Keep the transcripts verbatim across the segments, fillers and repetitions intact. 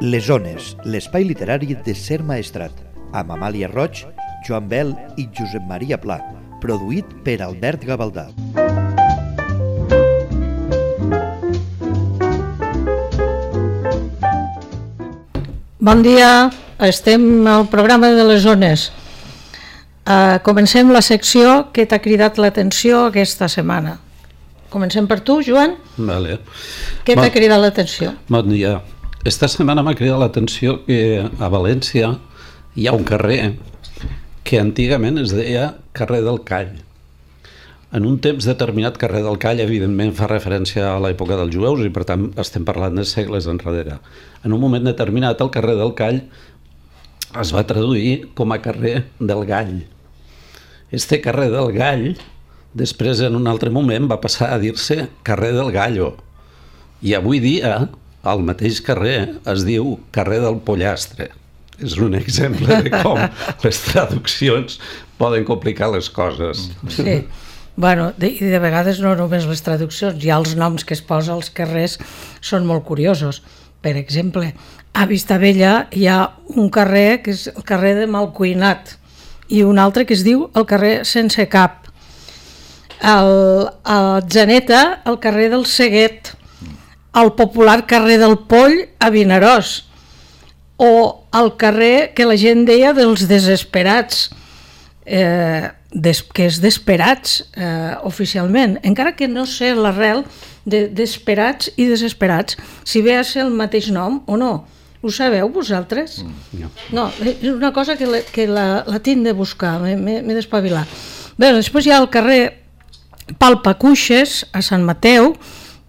Les Ones, l'espai literari de Ser Maestrat, amb Amàlia Roig, Joan Bel i Josep Maria Pla, produït per Albert Gavaldà. Bon dia, estem al programa de les Ones. Uh, comencem la secció que t'ha cridat l'atenció aquesta setmana. Comencem per tu, Joan? Vale. Què t'ha bon, cridat l'atenció? Bon dia. Esta setmana m'ha cridat l'atenció que a València hi ha un carrer que antigament es deia carrer del Call. En un temps determinat, carrer del Call, evidentment, fa referència a l'època dels jueus i, per tant, estem parlant de segles enrere. En un moment determinat, el carrer del Call es va traduir com a carrer del Gall. Este carrer del Gall, després, en un altre moment, va passar a dir-se carrer del Gallo. I avui dia, al mateix carrer, es diu carrer del Pollastre. És un exemple de com les traduccions poden complicar les coses. Sí. Bueno, de, i de vegades no només les traduccions, ja els noms que es posa als carrers són molt curiosos. Per exemple, a Vistabella hi ha un carrer que és el carrer de Malcuinat i un altre que es diu el carrer Sense Cap. El, a Atzeneta, el carrer del Seguet, el popular carrer del Poll a Vinaròs, o el carrer que la gent deia dels Desesperats, eh, des, que és d'Esperats eh, oficialment, encara que no sé l'arrel de d'Esperats i Desesperats, si ve a ser el mateix nom o no. Ho sabeu vosaltres? No. No, és una cosa que, la, que la, la tinc de buscar, m'he d'espavilar. Bé, després hi ha el carrer Palpacuixes a Sant Mateu,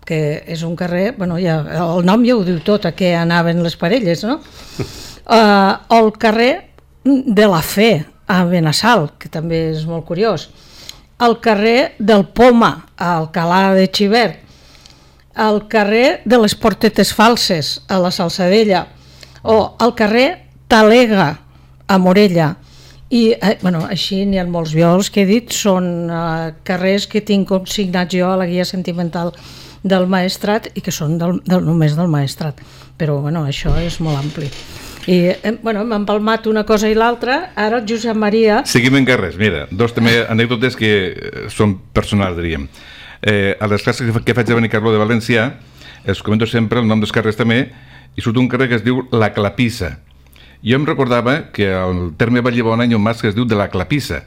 que és un carrer, bueno, ja, el nom ja ho diu tot, a què anaven les parelles, no? Uh, el carrer de la Fe, a Benassal, que també és molt curiós. El carrer del Poma, a Alcalà de Xivert. El carrer de les Portetes Falses, a la Salzadella. O el carrer Talega, a Morella. I, eh, bueno, així n'hi ha molts. Jo els que he dit són eh, carrers que tinc consignats jo a la guia sentimental del Maestrat i que són del, del, només del Maestrat. Però, bueno, això és molt ampli. I, eh, bueno, m'ha empalmat una cosa i l'altra. Ara el Josep Maria... Seguim en carrers, mira, dos també anècdotes que són personals, diríem. Eh, a les classes que faig a Benicarló de València els comento sempre el nom dels carrers també i surt un carrer que es diu La Clapissa. Jo em recordava que el terme Vallibona hi ha un mas que es diu de la Clapissa.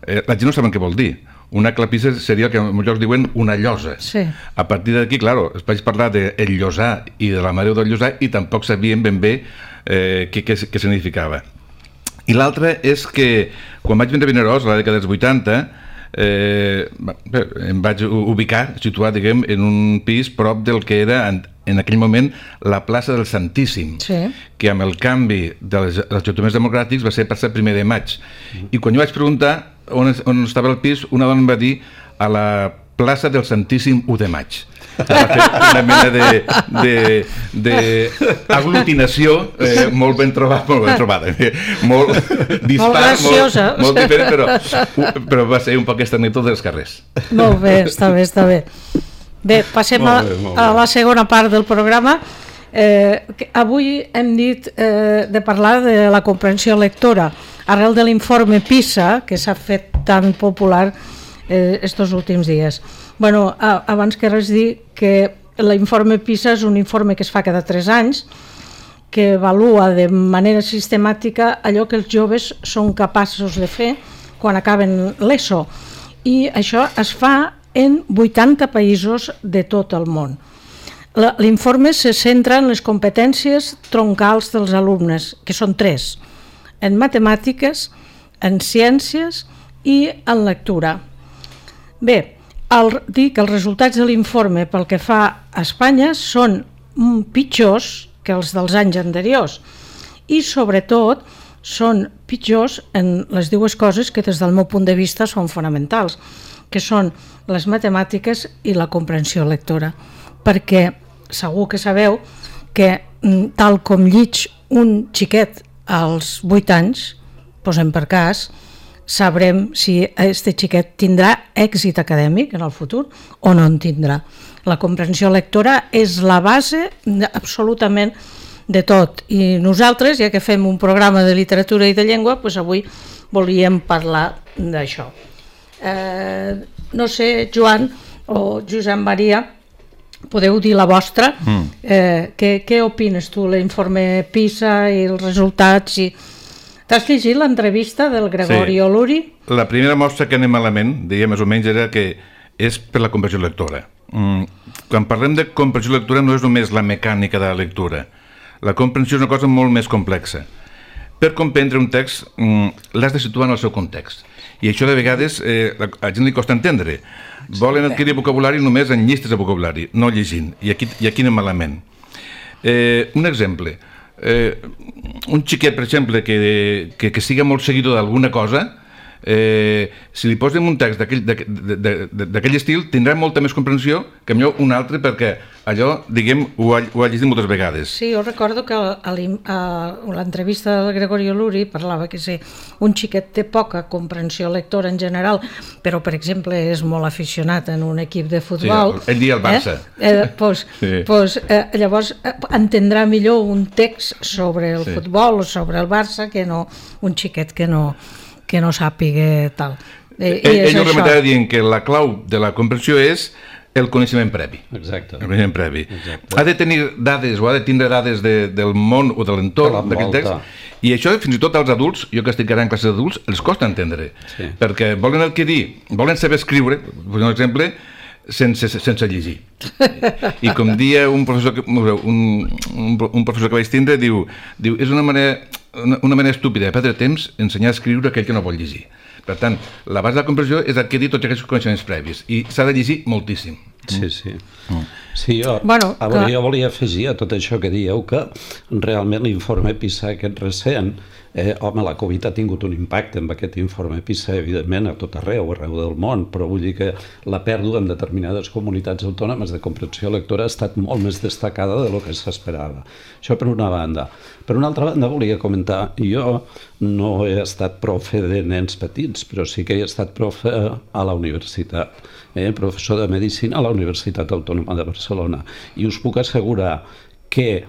Eh, la gent no saben què vol dir. Una clapissa seria el que en molts llocs diuen una llosa. Sí. A partir d'aquí, claro, es vaig parlar del llosar i de la mareu del llosar i tampoc sabien ben bé eh, què, què, què significava. I l'altre és que quan vaig vindre a Vinaròs, a la dècada dels vuitanta, eh, em vaig ubicar, situat, diguem, en un pis prop del que era en, en aquell moment la plaça del Santíssim, sí, que amb el canvi dels ajuntaments democràtics va ser passat primer de maig. I quan jo vaig preguntar on, on estava el pis, una dona em va dir a la plaça del Santíssim u de maig. Va fer una mena de, de, de aglutinació eh, molt ben trobada, molt ben trobada, eh, molt dispar, molt graciosa, molt, molt diferent, però, però va ser un poc aquesta anècdota dels carrers. Molt bé, està bé, està bé. Bé, passem a, a la segona part del programa. Eh, avui hem dit eh, de parlar de la comprensió lectora arrel de l'informe PISA que s'ha fet tan popular eh, estos últims dies. Bueno, a, abans que res dir que l'informe PISA és un informe que es fa cada tres anys que avalua de manera sistemàtica allò que els joves són capaços de fer quan acaben l'ESO, i això es fa en vuitanta països de tot el món. L'informe se centra en les competències troncals dels alumnes, que són tres: en matemàtiques, en ciències i en lectura. Bé, el, dir que els resultats de l'informe pel que fa a Espanya són pitjors que els dels anys anteriors i sobretot són pitjors en les dues coses que des del meu punt de vista són fonamentals, que són les matemàtiques i la comprensió lectora, perquè segur que sabeu que tal com llig un xiquet als vuit anys, posem per cas, sabrem si este xiquet tindrà èxit acadèmic en el futur o no en tindrà. La comprensió lectora és la base absolutament de tot. I nosaltres, ja que fem un programa de literatura i de llengua, doncs avui volíem parlar d'això. Eh, no sé, Joan o Josep Maria, podeu dir la vostra. Mm. Eh, què, què opines tu, l'informe PISA i els resultats? I... T'has llegit l'entrevista del Gregori sí. Oluri? La primera mostra que anem malament, deia més o menys, era que és per la comprensió lectora. Mm. Quan parlem de comprensió lectora no és només la mecànica de la lectura. La comprensió és una cosa molt més complexa. Per comprendre un text mm, l'has de situar en el seu context. I això de vegades eh, a la gent li costa entendre. Volen adquirir vocabulari només en llistes de vocabulari, no llegint. I aquí, i aquí anem malament. Eh, un exemple. Eh, un xiquet, per exemple, que, que, que siga molt seguidor d'alguna cosa, eh, si li posem un text d'aquell estil, tindrà molta més comprensió que millor un altre, perquè allò, diguem, ho ha, ho ha llegit moltes vegades. Sí, jo recordo que a, a, a l'entrevista del Gregori Oluri parlava que sí, un xiquet té poca comprensió lectora en general, però, per exemple, és molt aficionat en un equip de futbol. Sí, ell dia el Barça. Eh? Eh, pues, sí. pues, eh, llavors eh, entendrà millor un text sobre el sí. futbol o sobre el Barça que no un xiquet que no... que no sàpiga tal. I, ell ell ho remetava dient que la clau de la comprensió és el coneixement previ. Exacte. El coneixement previ. Exacte. Ha de tenir dades o ha de tindre dades de, del món o de l'entorn d'aquest text, i això fins i tot als adults, jo que estic ara en classes d'adults, els costa entendre, sí. perquè volen adquirir, volen saber escriure, per exemple, sense, sense llegir. I com dia un professor que, un, un, un professor que vaig tindre, diu, diu és una manera... Una, una manera estúpida de perdre temps ensenyar a escriure aquell que no vol llegir. Per tant, la base de la comprensió és adquirir tots aquests coneixements previs i s'ha de llegir moltíssim. Sí, sí. Mm. Sí, jo, bueno, que... jo volia afegir a tot això que dieu que realment l'informe PISA aquest recent, eh, home, la Covid ha tingut un impacte amb aquest informe PISA, evidentment, a tot arreu, arreu del món, però vull dir que la pèrdua en determinades comunitats autònomes de comprensió lectora ha estat molt més destacada de lo que s'esperava. Això per una banda. Per una altra banda volia comentar, jo no he estat profe de nens petits, però sí que he estat profe a la universitat, eh, professor de Medicina a la Universitat Autònoma de Barcelona, i us puc assegurar que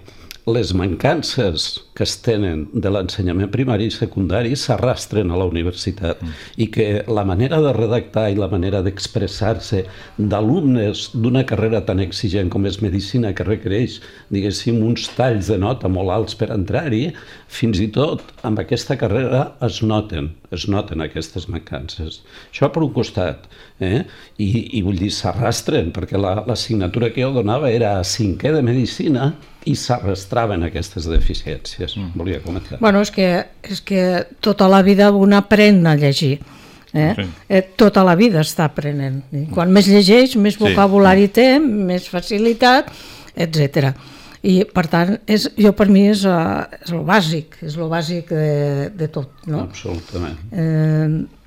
les mancances que es tenen de l'ensenyament primari i secundari s'arrastren a la universitat mm. i que la manera de redactar i la manera d'expressar-se d'alumnes d'una carrera tan exigent com és Medicina, que requereix, diguéssim, uns talls de nota molt alts per entrar-hi, fins i tot amb aquesta carrera es noten, es noten aquestes mancances. Això per un costat, eh? I, i vull dir, s'arrastren, perquè l'assignatura la, que jo donava era a cinquè de Medicina i s'arrastraven aquestes deficiències. Mm. Volia comentar. Bueno, és que, és que tota la vida un aprèn a llegir. Eh? Sí. Eh, tota la vida està aprenent. I quan més llegeix, més vocabulari sí. té, més facilitat, etcètera. I, per tant, és, jo per mi és, uh, és el bàsic, és el bàsic de, de tot. No? Absolutament. Eh,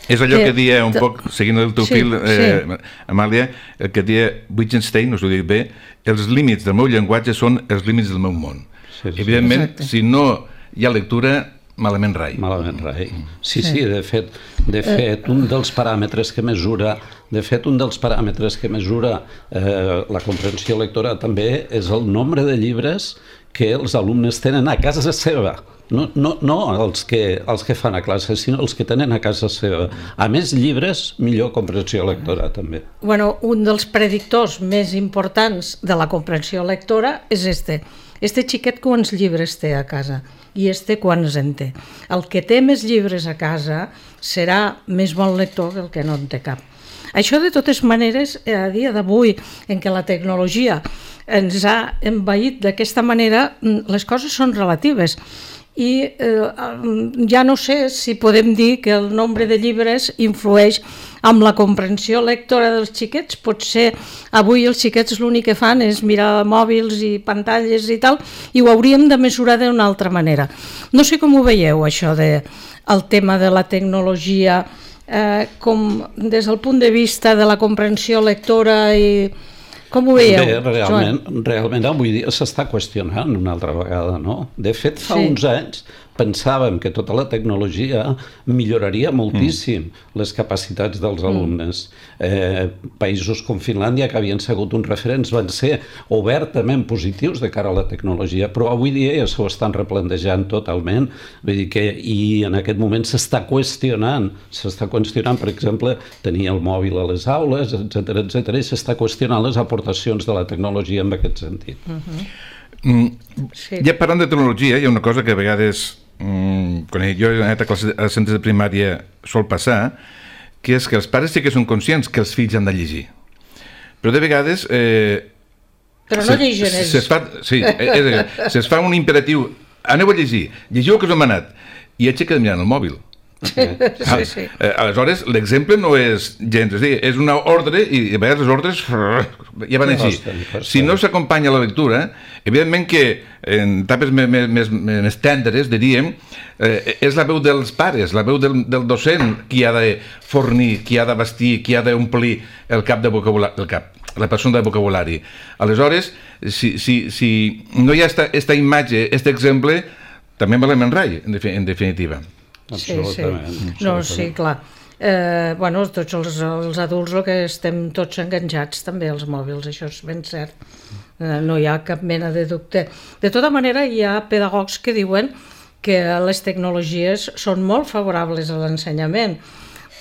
És allò que, que dia un poc, seguint el teu sí, fil, eh, sí. Amàlia, el que dia Wittgenstein, no us ho dic bé, els límits del meu llenguatge són els límits del meu món. Sí, sí. Evidentment, exacte. Si no hi ha lectura, malament rai. Malament rai. Sí, sí, de fet, de fet, un dels paràmetres que mesura, de fet, un dels paràmetres que mesura eh, la comprensió lectora també és el nombre de llibres que els alumnes tenen a casa seva. No, no, no els, que, els que fan a classe, sinó els que tenen a casa seva. A més llibres, millor comprensió lectora, també. Bueno, un dels predictors més importants de la comprensió lectora és este. Este xiquet quants llibres té a casa i este quants en té. El que té més llibres a casa serà més bon lector que el que no en té cap. Això, de totes maneres, a dia d'avui, en què la tecnologia ens ha envaït d'aquesta manera, les coses són relatives. I eh, ja no sé si podem dir que el nombre de llibres influeix amb la comprensió lectora dels xiquets. Potser avui els xiquets l'únic que fan és mirar mòbils i pantalles i tal, i ho hauríem de mesurar d'una altra manera. No sé com ho veieu, això de el tema de la tecnologia, eh, com des del punt de vista de la comprensió lectora i Com ho veieu? Bé, realment, realment avui dia s'està qüestionant una altra vegada, no? De fet, fa sí. uns anys pensàvem que tota la tecnologia milloraria moltíssim mm. les capacitats dels alumnes. Mm. Eh, països com Finlàndia, que havien sigut uns referents, van ser obertament positius de cara a la tecnologia, però avui dia ja s'ho estan replantejant totalment. Vull dir que, i en aquest moment s'està qüestionant, s'està qüestionant, per exemple, tenir el mòbil a les aules, etcètera, etcètera, i s'està qüestionant les aportacions de la tecnologia en aquest sentit. Mm-hmm. Mm, sí. Ja parlant de tecnologia, hi ha una cosa que a vegades, mm, quan jo he anat a classes a centres de primària sol passar, que és que els pares sí que són conscients que els fills han de llegir. Però de vegades... Eh, Però no llegen ells. Se, se fa, sí, és, se fa un imperatiu, aneu a llegir, llegiu el que us hem manat, i ells se queden mirant el mòbil. Sí, sí, sí. Aleshores, l'exemple no és gens, és, dir, és una ordre i a vegades les ordres ja van així. Si no s'acompanya la lectura, evidentment que en etapes més, més, més tendres, diríem, eh, és la veu dels pares, la veu del, del docent qui ha de fornir, qui ha de vestir, qui ha d'omplir el cap de vocabulari, el cap, la persona de vocabulari. Aleshores, si, si, si no hi ha esta, esta imatge, aquest exemple, també me l'enrai, en definitiva. Sí, sí. No, sí, clar. Eh, bueno, tots els, els adults el que estem tots enganxats també als mòbils, això és ben cert. Eh, no hi ha cap mena de dubte. De tota manera, hi ha pedagogs que diuen que les tecnologies són molt favorables a l'ensenyament,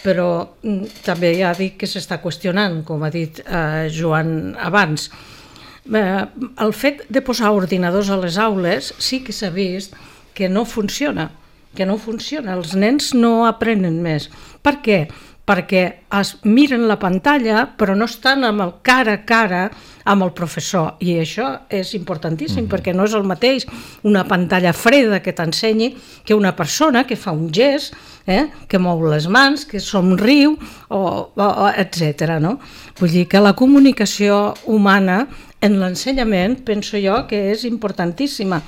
però mm, també ja dic que s'està qüestionant, com ha dit eh, Joan abans. Eh, el fet de posar ordinadors a les aules sí que s'ha vist que no funciona. que no funciona, els nens no aprenen més. Per què? Perquè es miren la pantalla però no estan amb el cara a cara amb el professor, i això és importantíssim, mm-hmm. perquè no és el mateix una pantalla freda que t'ensenyi que una persona que fa un gest, eh, que mou les mans, que somriu, o, o, etcètera. No? Vull dir que la comunicació humana en l'ensenyament penso jo que és importantíssima.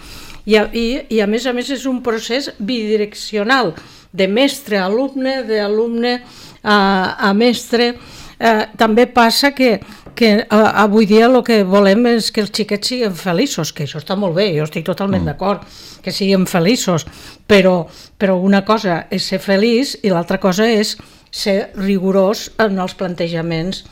I a, i, i a més a més és un procés bidireccional, de mestre a alumne, d'alumne a, a mestre. Eh, també passa que, que eh, avui dia el que volem és que els xiquets siguin feliços, que això està molt bé, jo estic totalment mm. d'acord, que siguin feliços, però, però una cosa és ser feliç i l'altra cosa és ser rigorós en els plantejaments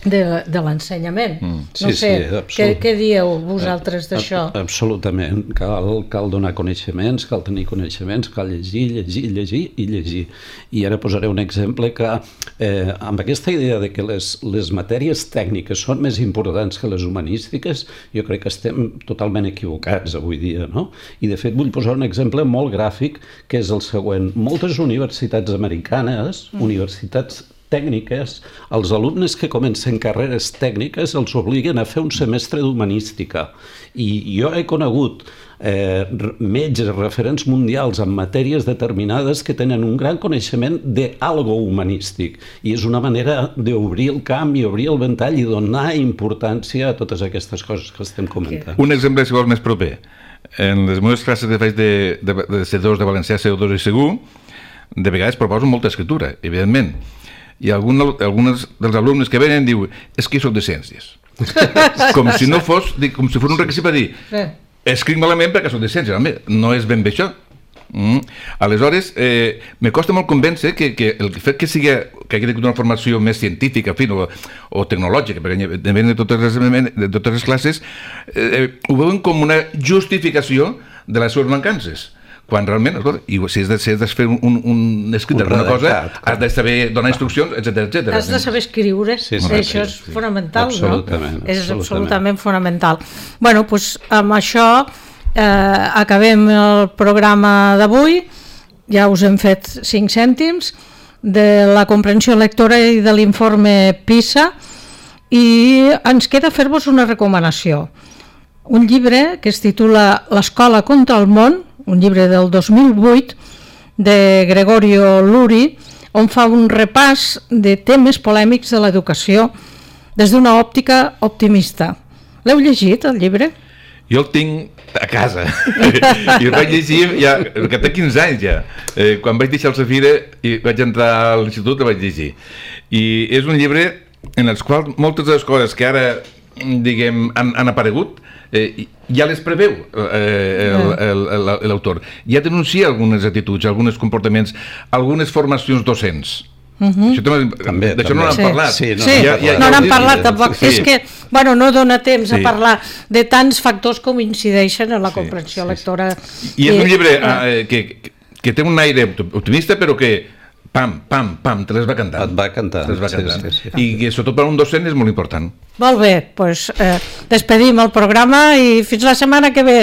de, de l'ensenyament. Mm. Sí, no sé, sí, què, què dieu vosaltres d'això? Absolutament, cal, cal donar coneixements, cal tenir coneixements, cal llegir, llegir, llegir i llegir. I ara posaré un exemple que eh, amb aquesta idea de que les, les matèries tècniques són més importants que les humanístiques, jo crec que estem totalment equivocats avui dia, no? I de fet vull posar un exemple molt gràfic, que és el següent. Moltes universitats americanes, mm. universitats tècniques, els alumnes que comencen carreres tècniques els obliguen a fer un semestre d'humanística. I jo he conegut eh, metges referents mundials en matèries determinades que tenen un gran coneixement d'algo humanístic. I és una manera d'obrir el camp i obrir el ventall i donar importància a totes aquestes coses que estem comentant. Un exemple, si vols, més proper. En les meves classes que faig de, de, de C dos de Valencià, C dos i Segur, de vegades proposo molta escriptura, evidentment. I algun, alguns dels alumnes que venen diu és que soc de ciències. Com si no fos, com si fos un requisit per dir escric malament perquè soc de ciències. Home, no és ben bé això. Mm. Aleshores, eh, me costa molt convèncer que, que el fet que sigui que hagi una formació més científica, en fi, o, o tecnològica, perquè depèn de totes les, de totes les classes, eh, ho veuen com una justificació de les seves mancances. Quan realment, escolta, i si has de, si has de fer un, un, un escrit d'alguna cosa, has de saber donar instruccions, etcètera, etcètera. Has de saber escriure, sí, sí, això és fonamental, absolutament, no? És absolutament fonamental. Bueno, doncs amb això eh, acabem el programa d'avui, ja us hem fet cinc cèntims, de la comprensió lectora i de l'informe PISA, i ens queda fer-vos una recomanació. Un llibre que es titula L'escola contra el món, un llibre del dos mil vuit de Gregorio Luri, on fa un repàs de temes polèmics de l'educació des d'una òptica optimista. L'heu llegit, el llibre? Jo el tinc a casa i el vaig llegir ja, que té quinze anys ja. Eh, quan vaig deixar el Safira i vaig entrar a l'institut el vaig llegir. I és un llibre en el qual moltes de les coses que ara diguem, han, han aparegut, eh, ja les preveu eh, l'autor. Ja denuncia algunes actituds, alguns comportaments, algunes formacions docents. Uh-huh. Això també, d'això no n'han sí. parlat. Sí, no, sí. Ja, ja, no n'han parlat tampoc. Sí. És que, bueno, no dona temps sí. a parlar de tants factors com incideixen en la sí, comprensió sí, lectora. I és un llibre eh, que, que té un aire optimista, però que pam, pam, pam, te les va cantant. Et va cantant. Te les va cantant. Sí, sí, sí. I que sobretot per a un docent és molt important. Molt bé, doncs eh, despedim el programa i fins la setmana que ve.